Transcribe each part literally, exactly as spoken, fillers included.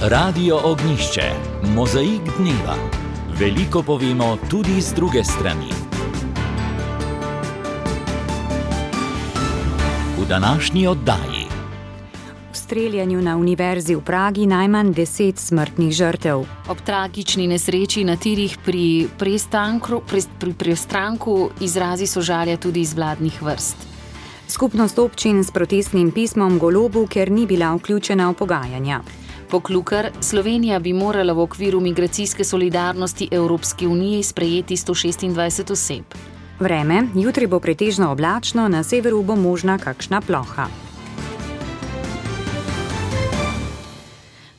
Radio Ognjišče, mozaik dneva. Veliko povemo tudi z druge strani. V današnji oddaji. V streljanju na univerzi v Pragi najmanj deset smrtnih žrtev. Ob tragični nesreči na tirih pri prestanku, pri, pri prestranku izrazi sožalja tudi iz vladnih vrst. Skupnost občin s protestnim pismom Golobu, ker ni bila vključena v pogajanja. Poklukar, Slovenija bi morala v okviru migracijske solidarnosti Evropske unije sprejeti sto šestindvajset oseb. Vreme, jutri bo pretežno oblačno, na severu bo možna kakšna ploha.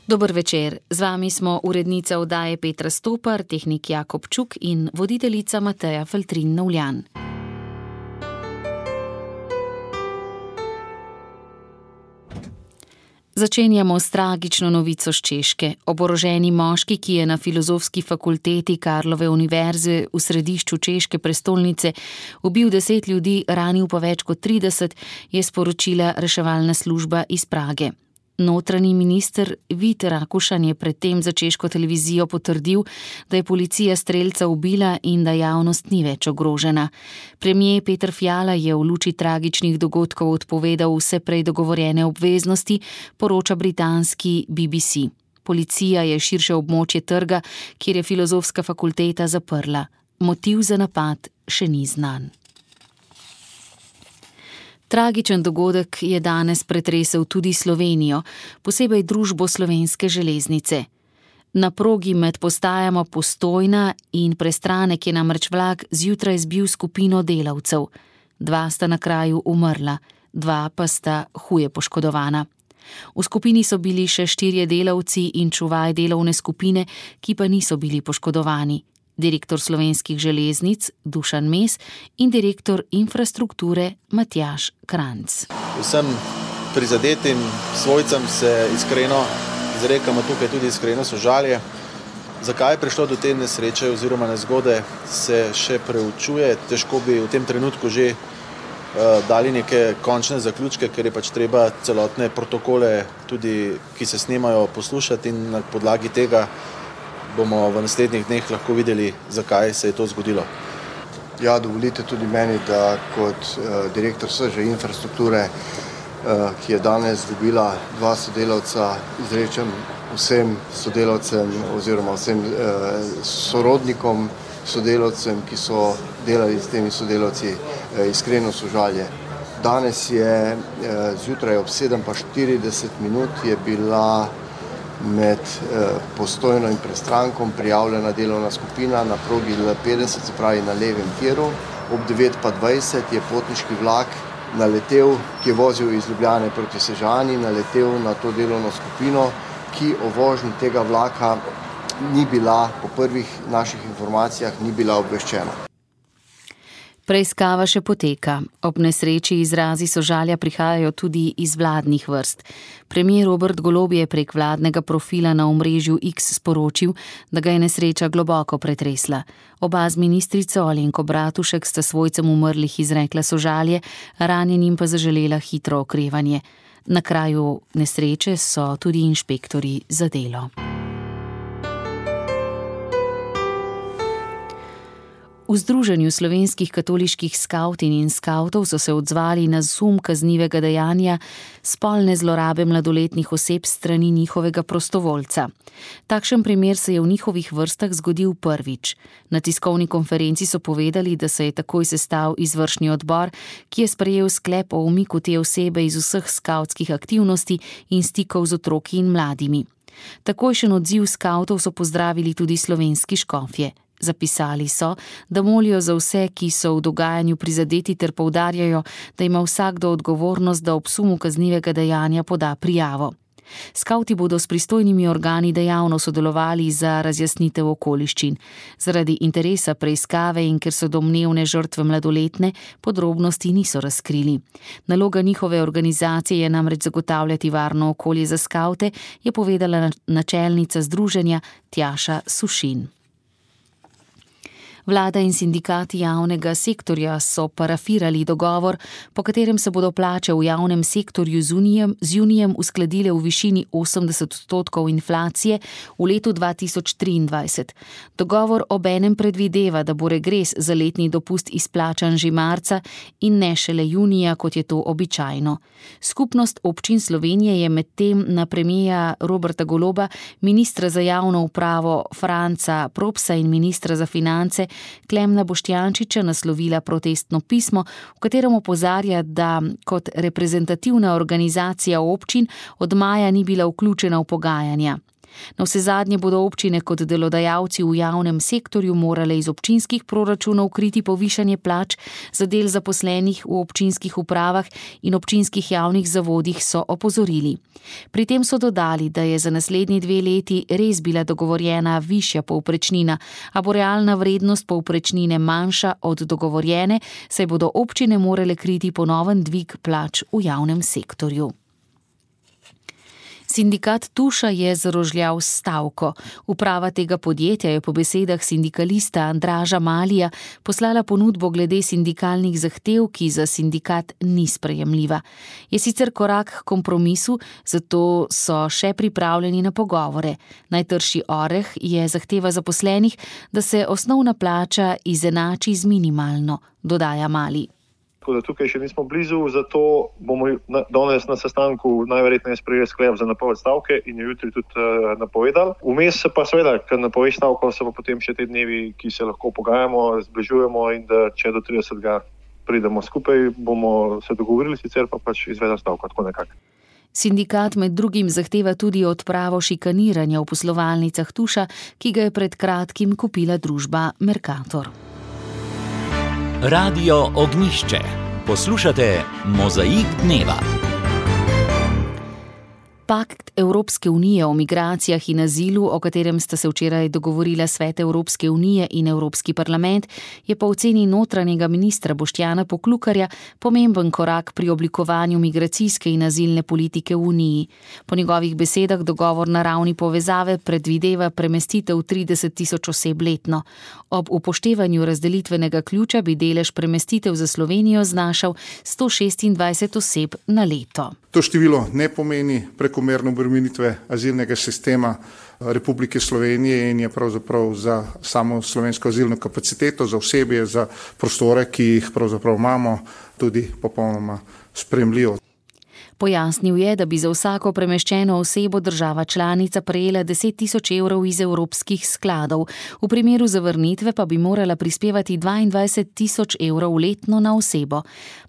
Dober večer, z vami smo urednica oddaje Petra Stopar, tehnik Jakob Čuk in voditeljica Mateja Feltrin-Novljan. Začenjamo s tragično novico z Češke. Oboroženi moški, ki je na Filozofski fakulteti Karlove univerze v središču češke prestolnice ubil deset ljudi, ranil pa več kot trideset, je sporočila reševalna služba iz Prage. Notranji minister Vít Rakušan je predtem za češko televizijo potrdil, da je policija strelca ubila in da javnost ni več ogrožena. Premier Peter Fiala je v luči tragičnih dogodkov odpovedal vse prej dogovorjene obveznosti, poroča britanski B B C. Policija je širše območje trga, kjer je Filozofska fakulteta zaprla. Motiv za napad še ni znan. Tragičen dogodek je danes pretresel tudi Slovenijo, posebej družbo Slovenske železnice. Na progi med postajama Postojna in Prestranek je namreč vlak zjutraj zbil skupino delavcev. Dva sta na kraju umrla, dva pa sta huje poškodovana. V skupini so bili še štirje delavci in čuvaj delovne skupine, ki pa niso bili poškodovani. Direktor Slovenskih železnic Dušan Mes in direktor infrastrukture Matjaž Kranjc. Vsem prizadetim svojcem se iskreno izrekamo tukaj tudi iskreno sožalje. Zakaj je prišlo do te nesreče oziroma nezgode, se še preučuje. Težko bi v tem trenutku že uh, dali neke končne zaključke, ker je pač treba celotne protokole, tudi ki se snemajo, poslušati in na podlagi tega bomo v naslednjih dneh lahko videli, zakaj se je to zgodilo. Ja, dovolite tudi meni, da kot uh, direktor S Ž infrastrukture, uh, ki je danes dobila dva sodelavca, izrečem vsem sodelavcem oziroma vsem uh, sorodnikom sodelavcem, ki so delali s temi sodelavci, uh, iskreno sožalje. Danes je uh, zjutraj ob sedem pa štirideset minut je bila med eh, Postojno in Prestrankom prijavljena delovna skupina na progi L petdeset, se pravi na levem tiru. Ob devet pa dvajset je potniški vlak naletel, ki je vozil iz Ljubljane proti Sežani, naletel na to delovno skupino, ki o vožnji tega vlaka ni bila, po prvih naših informacijah, ni bila obveščena. Preiskava še poteka. Ob nesreči izrazi sožalja prihajajo tudi iz vladnih vrst. Premier Robert Golob je prek vladnega profila na omrežju X sporočil, da ga je nesreča globoko pretresla. Oba z ministrico Alenko Bratušek sta svojcem umrlih izrekla sožalje, ranjenim pa zaželela hitro okrevanje. Na kraju nesreče so tudi inšpektorji za delo. V Združenju slovenskih katoliških skavtin in skavtov so se odzvali na sum kaznivega dejanja spolne zlorabe mladoletnih oseb strani njihovega prostovoljca. Takšen primer se je v njihovih vrstah zgodil prvič. Na tiskovni konferenci so povedali, da se je takoj sestal izvršni odbor, ki je sprejel sklep o umiku te osebe iz vseh skavtskih aktivnosti in stikov z otroki in mladimi. Takojšen odziv skavtov so pozdravili tudi slovenski škofje. Zapisali so, da molijo za vse, ki so v dogajanju prizadeti ter poudarjajo, da ima vsakdo odgovornost, da ob sumu kaznivega dejanja poda prijavo. Skavti bodo s pristojnimi organi dejavno sodelovali za razjasnitev okoliščin. Zaradi interesa preiskave in ker so domnevne žrtve mladoletne, podrobnosti niso razkrili. Naloga njihove organizacije je namreč zagotavljati varno okolje za skavte, je povedala načelnica združenja Tjaša Sušin. Vlada in sindikati javnega sektorja so parafirali dogovor, po katerem se bodo plače v javnem sektorju z junijem, z junijem uskladile v višini osemdeset odstotkov inflacije v letu dva tisoč triindvajset. Dogovor obenem predvideva, da bo regres za letni dopust izplačan že marca in ne šele junija, kot je to običajno. Skupnost občin Slovenije je medtem na premierja Roberta Goloba, ministra za javno upravo Franca Propsa in ministra za finance Klemna Boštjančiča naslovila protestno pismo, v katerem opozarja, da kot reprezentativna organizacija občin od maja ni bila vključena v pogajanja. Navsezadnje bodo občine kot delodajalci v javnem sektorju morale iz občinskih proračunov kriti povišanje plač za del zaposlenih v občinskih upravah in občinskih javnih zavodih, so opozorili. Pri tem so dodali, da je za naslednji dve leti res bila dogovorjena višja povprečnina, a bo realna vrednost povprečnine manjša od dogovorjene, saj bodo občine morale kriti ponoven dvig plač v javnem sektorju. Sindikat Tuša je zarožljal stavko. Uprava tega podjetja je po besedah sindikalista Andraža Malija poslala ponudbo glede sindikalnih zahtev, ki za sindikat ni sprejemljiva. Je sicer korak k kompromisu, zato so še pripravljeni na pogovore. Najtrši oreh je zahteva zaposlenih, da se osnovna plača izenači z minimalno, dodaja Mali. Tako da tukaj še nismo blizu, zato bomo danes na sestanku najverjetneje sprejeli sklep za napoved stavke in jo jutri tudi uh, napovedali. Vmes se pa seveda, ker napoved stavko, se pa potem še te dnevi, ki se lahko pogajamo, zbližujemo in da če do tridesetega pridemo skupaj, bomo se dogovorili, sicer pa pač izvedel stavko, tako nekako. Sindikat med drugim zahteva tudi odpravo šikaniranja v poslovalnicah Tuša, ki ga je pred kratkim kupila družba Mercator. Radio Ognjišče. Poslušate Mozaik dneva. Pakt Evropske unije o migracijah in azilu, o katerem sta se včeraj dogovorila Svet Evropske unije in Evropski parlament, je po oceni notranjega ministra Boštjana Poklukarja pomemben korak pri oblikovanju migracijske in azilne politike v Uniji. Po njegovih besedah dogovor na ravni povezave predvideva premestitev trideset tisoč oseb letno. Ob upoštevanju razdelitvenega ključa bi delež premestitev za Slovenijo znašal sto šestindvajset oseb na leto. To število ne pomeni prekomerne obremenitve azilnega sistema Republike Slovenije in je pravzaprav za samo slovensko azilno kapaciteto, za osebje, za prostore, ki jih pravzaprav imamo, tudi popolnoma sprejemljivo. Pojasnil je, da bi za vsako premeščeno osebo država članica prejela deset tisoč evrov iz evropskih skladov. V primeru zavrnitve pa bi morala prispevati dvaindvajset tisoč evrov letno na osebo.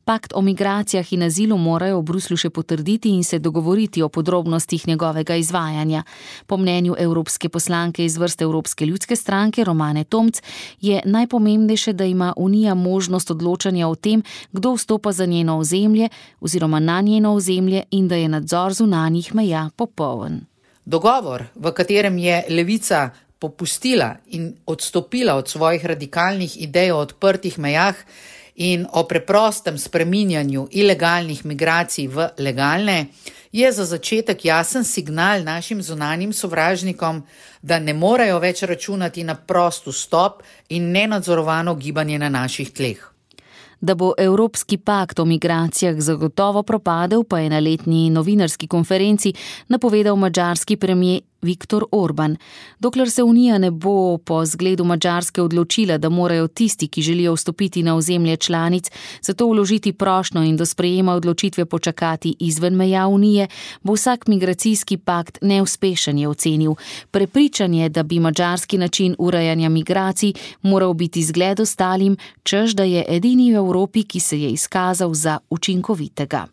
Pakt o migracijah in azilu morajo v Bruslju še potrditi in se dogovoriti o podrobnostih njegovega izvajanja. Po mnenju evropske poslanke iz vrst Evropske ljudske stranke Romane Tomc je najpomembnejše, da ima Unija možnost odločanja o tem, kdo vstopa za njeno ozemlje oziroma na njeno ozemlje in da je nadzor zunanjih meja popoln. Dogovor, v katerem je Levica popustila in odstopila od svojih radikalnih idej o odprtih mejah in o preprostem spreminjanju ilegalnih migracij v legalne, je za začetek jasen signal našim zunanjim sovražnikom, da ne morejo več računati na prost vstop in nenadzorovano gibanje na naših tleh. Da bo Evropski pakt o migracijah zagotovo propadel, pa je na letni novinarski konferenci napovedal madžarski premier Viktor Orban. Dokler se Unija ne bo po zgledu Madžarske odločila, da morajo tisti, ki želijo vstopiti na ozemlje članic, zato vložiti prošnjo in do sprejema odločitve počakati izven meja Unije, bo vsak migracijski pakt neuspešen, je ocenil. Prepričan je, da bi madžarski način urejanja migracij moral biti zgled ostalim, češ da je edini v Evropi, ki se je izkazal za učinkovitega.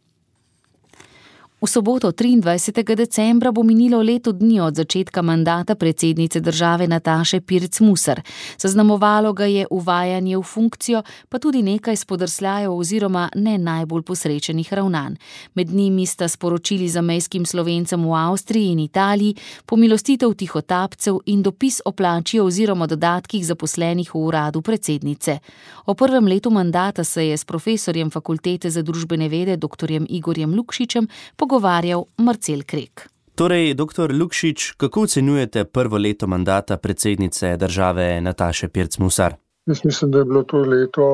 V soboto triindvajsetega decembra bo minilo leto dni od začetka mandata predsednice države Nataše Pirc Musar. Zaznamovalo ga je uvajanje v funkcijo, pa tudi nekaj spodrsljajev oziroma ne najbolj posrečenih ravnanj. Med njimi sta sporočili zamejskim Slovencem v Avstriji in Italiji, pomilostitev tihotapcev in dopis o plači oziroma dodatkih zaposlenih v uradu predsednice. O prvem letu mandata se je s profesorjem Fakultete za družbene vede doktorjem Igorjem Lukšičem pogovarjal Marcel Krek. Torej, doktor Lukšič, kako ocenjujete prvo leto mandata predsednice države Nataše Pirc Musar? Jaz mislim, da je bilo to leto,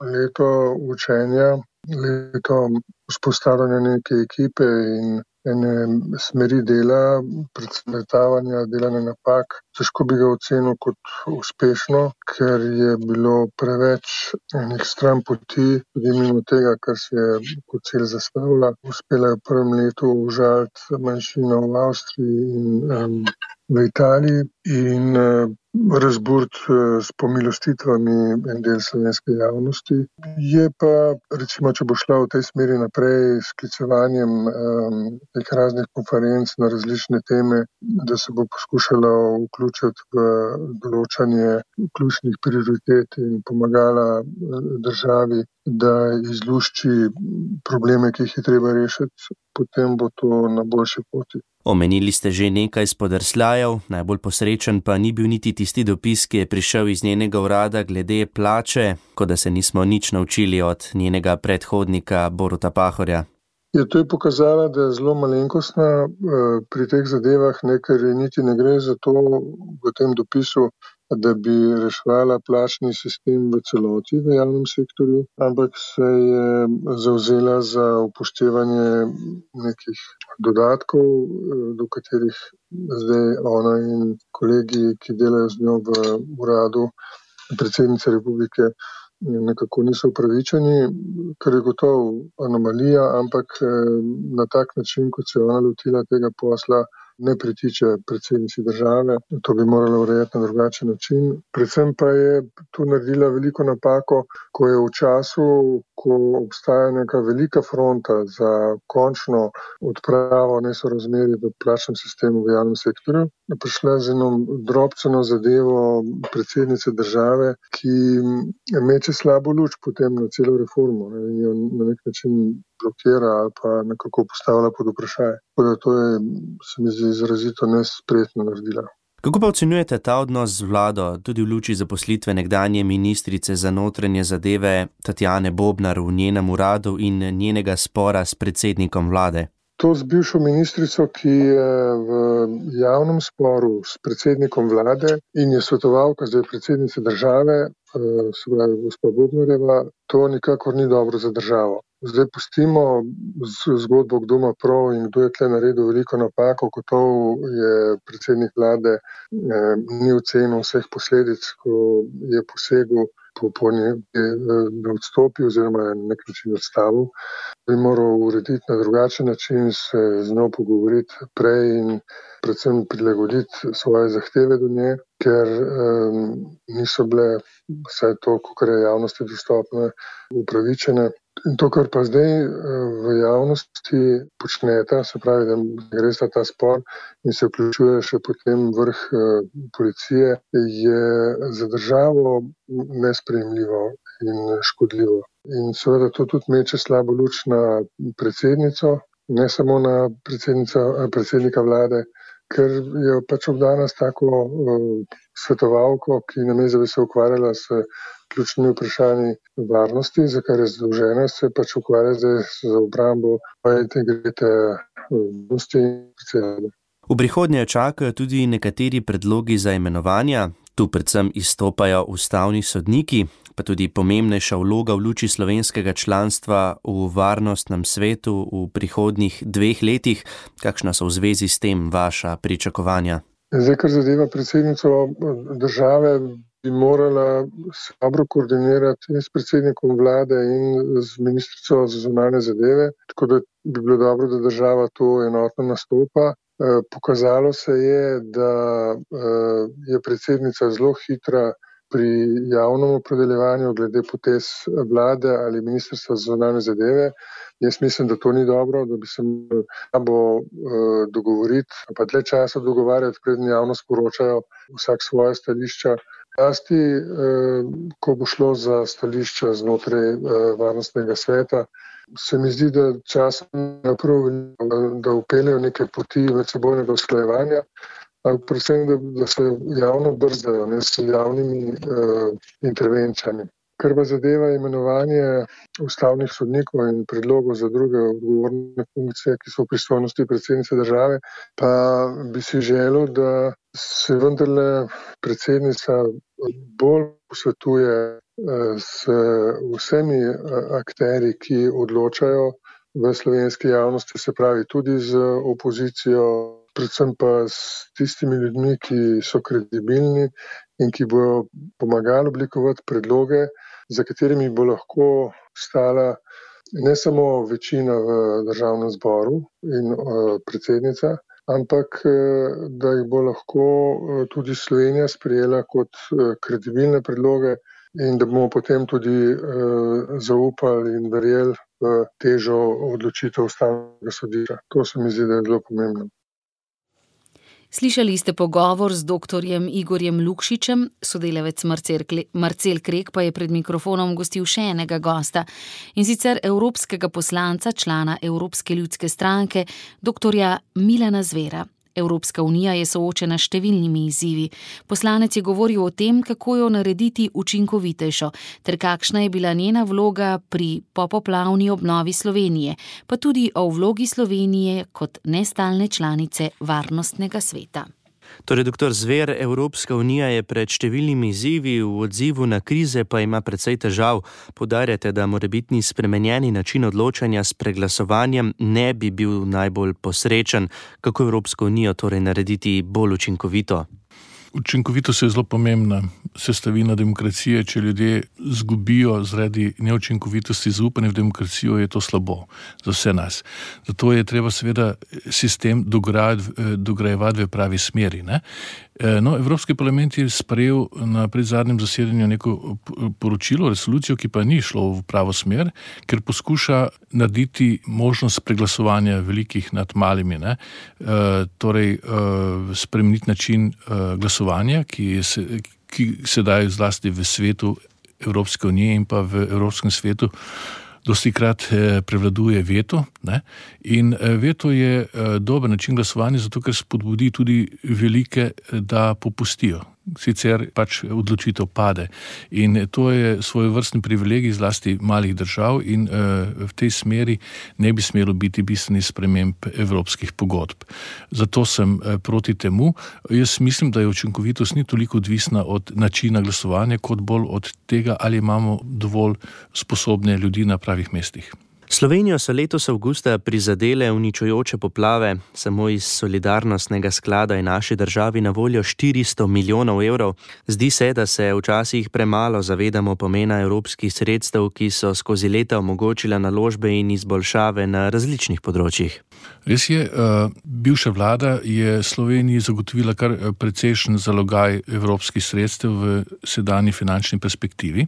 leto učenja, leto vzpostavljanja neke ekipe in ene smeri dela, predvsem letavanja, delanja napak. Težko bi ga ocenil kot uspešno, ker je bilo preveč enih stran poti, tudi mimo tega, kar se je kot cilj zastavila. Uspela je v prvem letu užaliti manjšino v Avstriji in um, v Italiji in uh, razburiti uh, s pomilostitvami en del slovenske javnosti. Je pa, recimo, če bo šla v tej smeri naprej s sklicevanjem um, teh raznih konferenc na različne teme, da se bo poskušala vključiti v določanje ključnih prioritet in pomagala državi, da izlušči probleme, ki jih je treba rešiti, potem bo to na boljši poti. Omenili ste že nekaj spodrsljajev, najbolj posrečen pa ni bil niti tisti dopis, ki je prišel iz njenega urada glede plače, kot da se nismo nič naučili od njenega predhodnika Boruta Pahorja. Je to je pokazala, da je zelo malenkostna pri teh zadevah, ne, ker niti ne gre za to v tem dopisu, da bi reševala plačni sistem v celoti v javnem sektorju, ampak se je zavzela za upoštevanje nekih dodatkov, do katerih zdaj ona in kolegi, ki delajo z njo v uradu predsednice republike, nekako niso upravičeni, kar je gotovo anomalija, ampak na tak način, kot se je ona lotila tega posla, ne pritiče predsednici države. To bi morala urejati na drugačen način. Predvsem pa je tu naredila veliko napako, ko je v času, ko obstaja neka velika fronta za končno odpravo nesorazmerij v plačnem sistemu v javnem sektorju, prišla z eno drobceno zadevo predsednice države, ki meče slabo luč potem na celo reformo in jo na nek način blokira ali pa nekako postavlja pod vprašaj. Tako da to je, se mi zdi, izrazito nespretno naredila. Kako pa ocenjujete ta odnos z vlado, tudi v luči zaposlitve nekdanje ministrice za notranje zadeve Tatjane Bobnar v njenem uradu in njenega spora s predsednikom vlade? To z bivšo ministrico, ki je v javnem sporu s predsednikom vlade in je svetovalka zdaj predsednice države, se pravi gospa Bobnarjeva, to nikakor ni dobro za državo. Zdaj pustimo zgodbo, kdo ima prav in kdo je tle naredil veliko napako, gotovo je predsednik vlade eh, ni ocenil vseh posledic, ko je posegel po, po nje, da odstopi oziroma na nek način odstavil. Bi moral urediti na drugačen način, se z njo pogovoriti prej in predvsem prilagoditi svoje zahteve do nje, ker um, niso bile vse to, kar je javnosti dostopne, upravičene. In to, kar pa zdaj v javnosti počneta, se pravi, da gre za ta spor in se vključuje še potem vrh policije, je za državo nesprejemljivo in škodljivo. In seveda to tudi meče slabo luč na predsednico, ne samo na predsednika vlade, ker je pač obdana s tako uh, svetovalko, ki namesto da bi se ukvarjala s ključnimi vprašanji varnosti, za kar je zadolžena, se pač ukvarja zdaj z obrambo integritete varnosti in predsednika. V prihodnje čakajo tudi nekateri predlogi za imenovanja. Tu predvsem izstopajo ustavni sodniki, pa tudi pomembnejša vloga v luči slovenskega članstva v varnostnem svetu v prihodnjih dveh letih. Kakšna so v zvezi s tem vaša pričakovanja? Zdaj, kar zadeva predsednico države, bi morala se dobro koordinirati in s predsednikom vlade in z ministrico za zunanje zadeve, tako da bi bilo dobro, da država to enotno nastopa. Pokazalo se je, da je predsednica zelo hitra pri javnem opredeljevanju glede potez vlade ali ministrstva za zunanje zadeve. Jaz mislim, da to ni dobro, da bi se morali dogovoriti, pa dlje časa dogovarjati, preden javno sporočajo vsak svoje stališča. Zlasti, ko bo šlo za stališča znotraj varnostnega sveta, se mi zdi, da časom naprav, da upeljajo neke poti medsebojnega usklajevanja, ampak predvsem, da, da se javno brzdajo, ne s javnimi uh, intervencijami. Kar pa zadeva imenovanje ustavnih sodnikov in predlogov za druge odgovorne funkcije, ki so v pristojnosti predsednice države, pa bi si želel, da se vendarle predsednica bolj posvetuje s vsemi akterji, ki odločajo v slovenski javnosti, se pravi tudi z opozicijo, predvsem pa s tistimi ljudmi, ki so kredibilni in ki bodo pomagali oblikovati predloge, za katerimi bo lahko stala ne samo večina v državnem zboru in predsednica, ampak da jih bo lahko tudi Slovenija sprejela kot kredibilne predloge in da bomo potem tudi zaupali in verjeli v težo odločitev Ustavnega sodišča. To se mi zdi, da je zelo pomembno. Slišali ste pogovor z doktorjem Igorjem Lukšičem, sodelavec Marcel Krek pa je pred mikrofonom gostil še enega gosta, in sicer evropskega poslanca, člana Evropske ljudske stranke, doktorja Milana Zvera. Evropska unija je soočena s številnimi izzivi. Poslanec je govoril o tem, kako jo narediti učinkovitejšo, ter kakšna je bila njena vloga pri popoplavni obnovi Slovenije, pa tudi o vlogi Slovenije kot nestalne članice Varnostnega sveta. Torej, doktor Zver, Evropska unija je pred številnimi izzivi, v odzivu na krize pa ima precej težav. Poudarjate, da morebitni spremenjeni način odločanja s preglasovanjem ne bi bil najbolj posrečen. Kako Evropsko unijo torej narediti bolj učinkovito? Učinkovitost je zelo pomembna sestavina demokracije. Če ljudje zgubijo zaradi neučinkovitosti zaupanje v demokracijo, je to slabo za vse nas. Zato je treba seveda sistem dograjevati v pravi smeri, ne? No, Evropski parlament je sprejel na predzadnjem zasedanju neko poročilo, resolucijo, ki pa ni šlo v pravo smer, ker poskuša narediti možnost preglasovanja velikih nad malimi, ne? E, torej, e, spremeniti način e, glasovanja, ki, se, ki sedaj zlasti v svetu Evropske unije in pa v Evropskem svetu dostikrat prevladuje veto, ne? In veto je dober način glasovanja, zato ker spodbudi tudi velike, da popustijo. Sicer pač odločitev pade. In to je svojevrstni privilegij zlasti malih držav in uh, v tej smeri ne bi smelo biti bistveni sprememb evropskih pogodb. Zato sem uh, proti temu. Jaz mislim, da je učinkovitost ni toliko odvisna od načina glasovanja, kot bolj od tega, ali imamo dovolj sposobne ljudi na pravih mestih. Slovenijo so letos avgusta prizadele uničujoče poplave. Samo iz solidarnostnega sklada je naši državi na voljo štiristo milijonov evrov. Zdi se, da se včasih premalo zavedamo pomena evropskih sredstev, ki so skozi leta omogočila naložbe in izboljšave na različnih področjih. Res je, bivša vlada je Sloveniji zagotovila kar precejšen zalogaj evropskih sredstev v sedanji finančni perspektivi,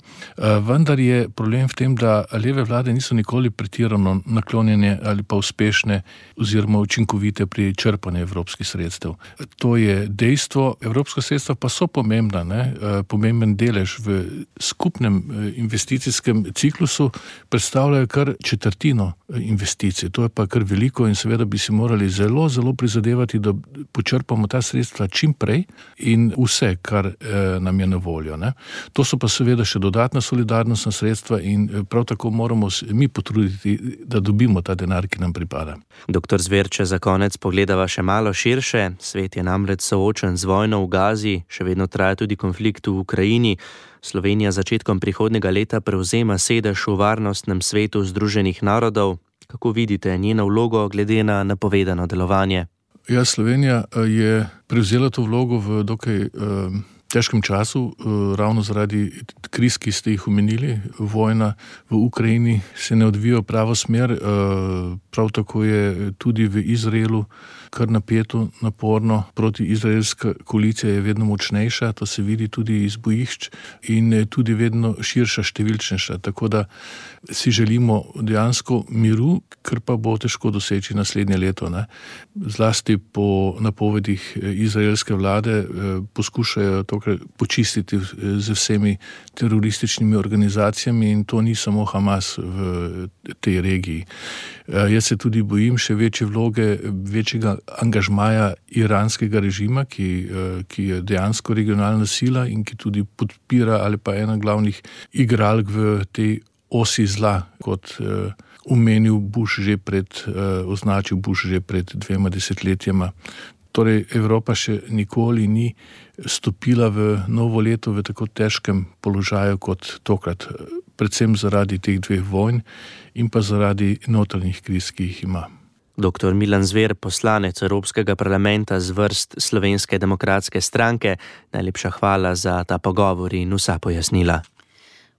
vendar je problem v tem, da leve vlade niso nikoli pretirano naklonjene ali pa uspešne oziroma učinkovite pri črpanju evropskih sredstev. To je dejstvo, evropska sredstva pa so pomembna, ne? Pomemben delež v skupnem investicijskem ciklusu predstavljajo kar četrtino investicij. To je pa kar veliko in seveda bi si morali zelo, zelo prizadevati, da počrpamo ta sredstva čim prej in vse, kar eh, nam je na voljo, ne? To so pa seveda še dodatna solidarnostna sredstva in prav tako moramo mi potruditi, da dobimo ta denar, ki nam pripada. Doktor Zver, če za konec pogledava še malo širše, svet je namreč soočen z vojno v Gazi, še vedno traja tudi konflikt v Ukrajini. Slovenija začetkom prihodnjega leta prevzema sedež v Varnostnem svetu Združenih narodov. Kako vidite njeno vlogo glede na napovedano delovanje? Ja, Slovenija je prevzela to vlogo v dokaj uh, težkem času, uh, ravno zaradi kriz, ki ste jih omenili. Vojna v Ukrajini se ne odvija v pravo smer, uh, prav tako je tudi v Izraelu kar napeto, naporno. Protiizraelska koalicija je vedno močnejša, to se vidi tudi iz bojišč in tudi vedno širša, številčnejša. Tako da si želimo dejansko miru, kar pa bo težko doseči naslednje leto, ne? Zlasti po napovedih izraelske vlade poskušajo tokrat počistiti z vsemi terorističnimi organizacijami in to ni samo Hamas v tej regiji. Jaz se tudi bojim še večje vloge, večjega angažmaja iranskega režima, ki, ki je dejansko regionalna sila in ki tudi podpira ali pa ena glavnih igralk v tej osi zla, kot uh, omenil Bush že pred, uh, označil Bush že pred dvema desetletjema. Torej, Evropa še nikoli ni stopila v novo leto v tako težkem položaju kot tokrat, predvsem zaradi teh dveh vojn in pa zaradi notranjih kriz, ki jih ima. doktor Milan Zver, poslanec Evropskega parlamenta z vrst Slovenske demokratske stranke, najlepša hvala za ta pogovor in vsa pojasnila.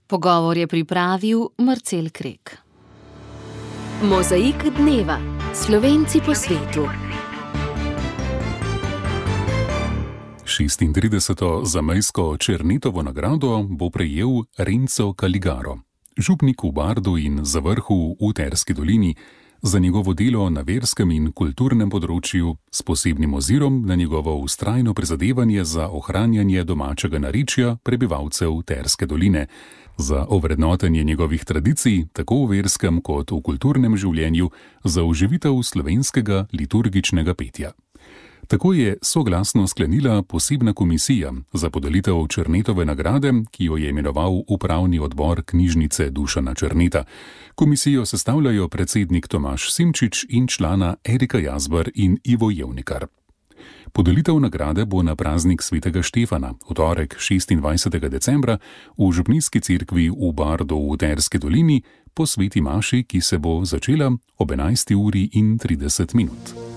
Pogovor je pripravil Marcel Krek. Mozaik dneva. Slovenci po svetu. šestintrideseto zamejsko Černetovo nagrado bo prejel Renzo Caligaro, župnik v Bardu in Zavrhu v Terski dolini, za njegovo delo na verskem in kulturnem področju s posebnim ozirom na njegovo vztrajno prizadevanje za ohranjanje domačega narečja prebivalcev Terske doline, za ovrednotenje njegovih tradicij tako v verskem kot v kulturnem življenju, za oživitev slovenskega liturgičnega petja. Tako je soglasno sklenila posebna komisija za podelitev Černetove nagrade, ki jo je imenoval upravni odbor knjižnice Dušana Černeta. Komisijo sestavljajo predsednik Tomaž Simčič in člana Erika Jazbar in Ivo Jevnikar. Podelitev nagrade bo na praznik svetega Štefana, v torek šestindvajsetega decembra, v župnijski cerkvi v Bardu v Terski dolini po sveti maši, ki se bo začela ob enajsti uri in trideset minut.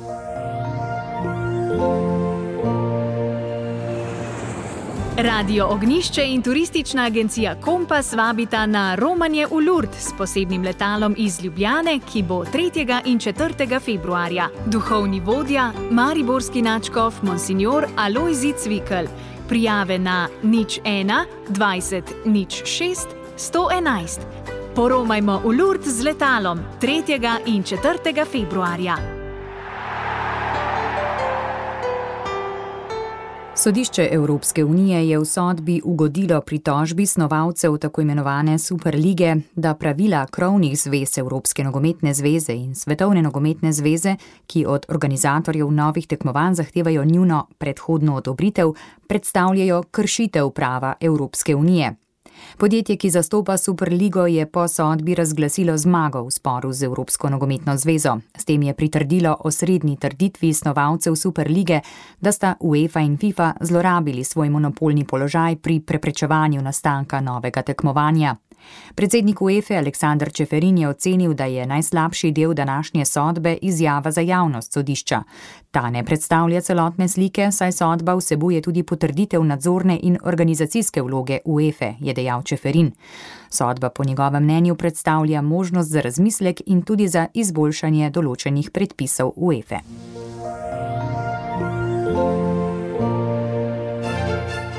Radio Ognjišče in turistična agencija Kompas vabita na romanje v Lourdes s posebnim letalom iz Ljubljane, ki bo tretjega in četrtega februarja. Duhovni vodja, mariborski nadškof Monsignor Alojzij Cvikl. Prijave na nič ena dvajset nič šest sto enajst. Poromajmo v Lourdes z letalom tretjega in četrtega februarja. Sodišče Evropske unije je v sodbi ugodilo pritožbi snovalcev tako imenovane Superlige, da pravila krovnih zvez Evropske nogometne zveze in Svetovne nogometne zveze, ki od organizatorjev novih tekmovanj zahtevajo njuno predhodno odobritev, predstavljajo kršitev prava Evropske unije. Podjetje, ki zastopa Superligo, je po sodbi razglasilo zmago v sporu z Evropsko nogometno zvezo. S tem je pritrdilo osrednji trditvi snovalcev Superlige, da sta UEFA in FIFA zlorabili svoj monopolni položaj pri preprečevanju nastanka novega tekmovanja. Predsednik UEFA Aleksander Čeferin je ocenil, da je najslabši del današnje sodbe izjava za javnost sodišča. Ta ne predstavlja celotne slike, saj sodba vsebuje tudi potrditev nadzorne in organizacijske vloge UEFA, je dejal Čeferin. Sodba po njegovem mnenju predstavlja možnost za razmislek in tudi za izboljšanje določenih predpisov UEFA.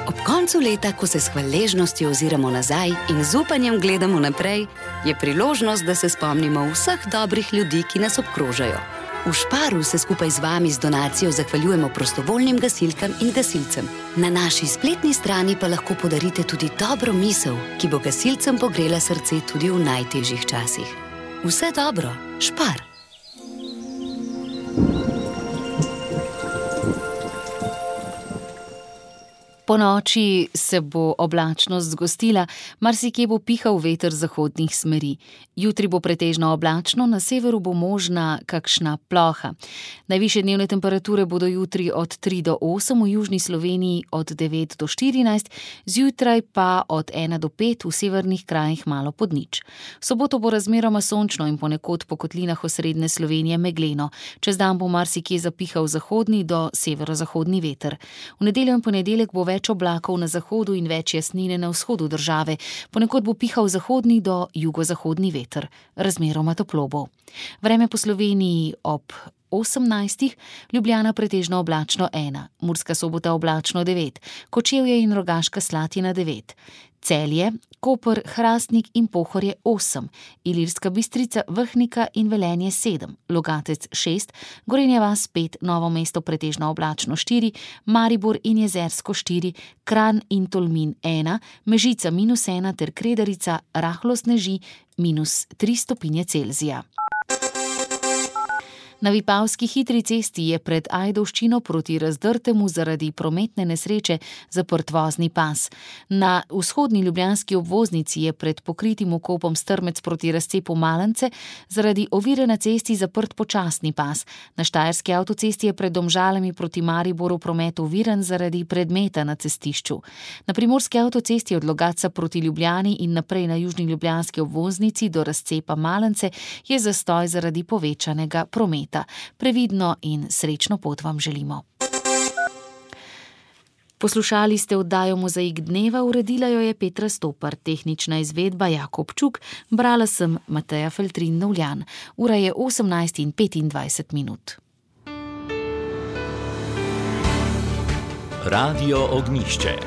Ob koncu leta, ko se s hvaležnostjo oziramo nazaj in z upanjem gledamo naprej, je priložnost, da se spomnimo vseh dobrih ljudi, ki nas obkrožajo. V Šparu se skupaj z vami z donacijo zahvaljujemo prostovoljnim gasilkam in gasilcem. Na naši spletni strani pa lahko podarite tudi dobro misel, ki bo gasilcem pogrela srce tudi v najtežjih časih. Vse dobro, Špar! Po noči se bo oblačnost zgostila, marsikje bo pihal veter zahodnih smeri. Jutri bo pretežno oblačno, na severu bo možna kakšna ploha. Najvišje dnevne temperature bodo jutri od tri do osem, v južni Sloveniji od devet do štirinajst, zjutraj pa od ena do pet, v severnih krajih malo pod nič. V soboto bo razmeroma sončno in ponekod po kotlinah osrednje Slovenije megleno. Čez dan bo marsikje zapihal zahodni do severozahodni veter. V nedeljo in ponedeljek bo več oblakov na zahodu in več jasnine na vzhodu države. Ponekod bo pihal zahodni do jugozahodni veter. Razmeroma toplo bo. Vreme po Sloveniji ob osemnajstih, Ljubljana pretežno oblačno ena, Murska Sobota oblačno devet, Kočevje in Rogaška Slatina devet, Celje, Koper, Hrastnik in Pohorje osem, Ilirska Bistrica, Vrhnika in Velenje sedem, Logatec šest, Gorenja vas pet, Novo mesto pretežno oblačno štiri, Maribor in Jezersko štiri, Kranj in Tolmin ena, Mežica minus ena ter Kredarica rahlo sneži minus tri stopinje Celzija. Na Vipavski hitri cesti je pred Ajdovščino proti Razdrtemu zaradi prometne nesreče zaprt vozni pas. Na vzhodni ljubljanski obvoznici je pred pokritim vkopom Strmec proti razcepu Malance zaradi ovire na cesti zaprt počasni pas. Na štajerski avtocesti je pred Domžalami proti Mariboru promet oviran zaradi predmeta na cestišču. Na primorski avtocesti od Logatca proti Ljubljani in naprej na južni ljubljanski obvoznici do razcepa Malance je zastoj zaradi povečanega prometa. Previdno in srečno pot vam želimo. Poslušali ste oddajo Mozaik dneva, uredila jo je Petra Stopar, tehnična izvedba Jakob Čuk, brala sem Mateja Feltrin-Novljan. Ura je osemnajst in petindvajset minut. Radio Ognjišče.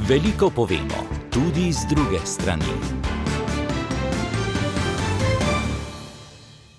Veliko povemo, tudi z druge strani.